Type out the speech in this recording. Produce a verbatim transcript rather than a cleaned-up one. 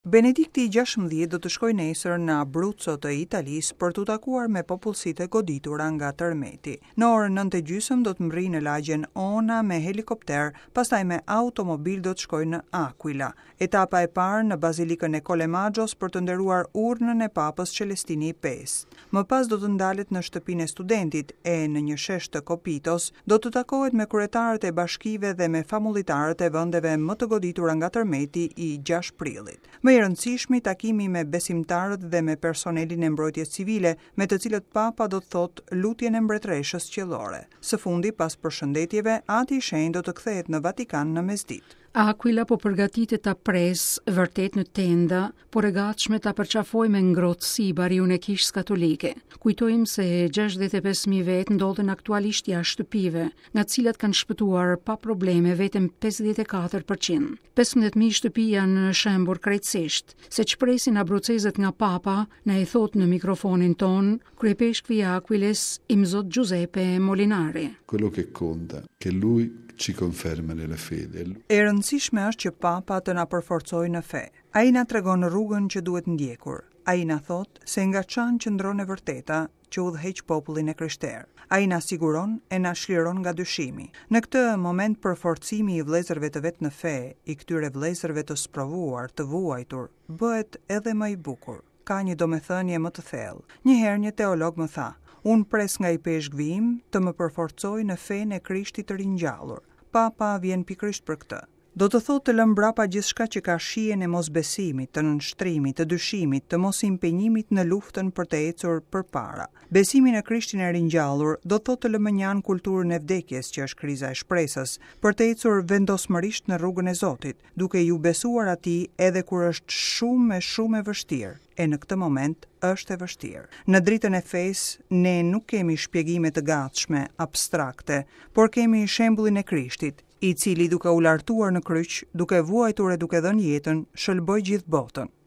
Benedikti i gjashtëmbëdhjetë do të shkojë nesër në Abruzzo të Italisë për t'u takuar me popullsitë e goditura nga tërmeti. Në orën nëntë e gjysmë do të mbrijë në lagjen Ona me helikopter, pastaj me automobil do të shkojë në Aquila. Etapa e parë në Bazilikën e Collemaggio për të nderuar urnën e Papës Celestini i pestë. Më pas do të ndalet në shtëpinë e studentit e në një shesh të Copitos do të takohet me kryetarët e bashkive dhe me famullitarët e vendeve më të goditura nga tërmeti i gjashtë prillit. Më i rëndësishmi takimi me besimtarët dhe me personelin e mbrojtjes civile, me të cilët Papa do të thotë lutjen e mbretëreshës qiellore. Së fundi, pas përshëndetjeve, Ati i Shenjtë do të kthehet në Vatikan në mesditë. Aquila po përgatitet ta pres vërtet në tenda, por e gatshme ta përqafoj me ngrohtësi bariun e kishës katolike. Kujtojmë se gjashtëdhjetë e pesë mijë vetë ndodhen aktualisht jashtë shtëpive, nga të cilat kanë shpëtuar pa probleme vetëm pesëdhjetë e katër përqind. Pesëmbëdhjetë mijë shtëpi janë shembur krejtësisht. Se ç'presin abrucezët nga Papa, na e thot në mikrofonin ton kryepeshkvi i Aquiles, Imzot Giuseppe Molinari. Quello che conta, che lui ci conferma nella fede. E rëndësishme është që Papa të na përforcojë në fe. Ai na tregon rrugën që duhet ndjekur. Ai na thot se nga çan qëndron e vërteta që udhëheq popullin e krishterë. Ai na siguron e na çliron nga dyshimi. Në këtë moment përforcimi i vëllezërve të vet në fe, i këtyre vëllezërve të sprovuar, të vuajtur, bëhet edhe më i bukur. Ka një domethënie më të thellë. Një herë një teolog më tha, unë pres nga i peshkvi im të më përforcojë në fenë e Krishtit të ringjallur. Papa vjen pikërisht për këtë. Do të thotë të lëmë mbrapa gjithçka që ka shijen e mosbesimit, të nënshtrimit, të dyshimit, të mosimpenjimit në luftën për të ecur përpara. Besimi në Krishtin e ringjallur do të thotë të lëmë mënjanë kulturën e vdekjes, që është kriza e shpresës, për të ecur vendosmërisht në rrugën e Zotit, duke ju besuar atij edhe kur është shumë e shumë e vështirë. E në këtë moment është e vështirë. Në dritën e fesë, ne nuk kemi shpjegime të gatshme, abstrakte, por kemi shembullin e Krishtit, i cili duke u lartuar në kryq, duke vuajtur e duke dhënë jetën, shëlboi gjithë botën.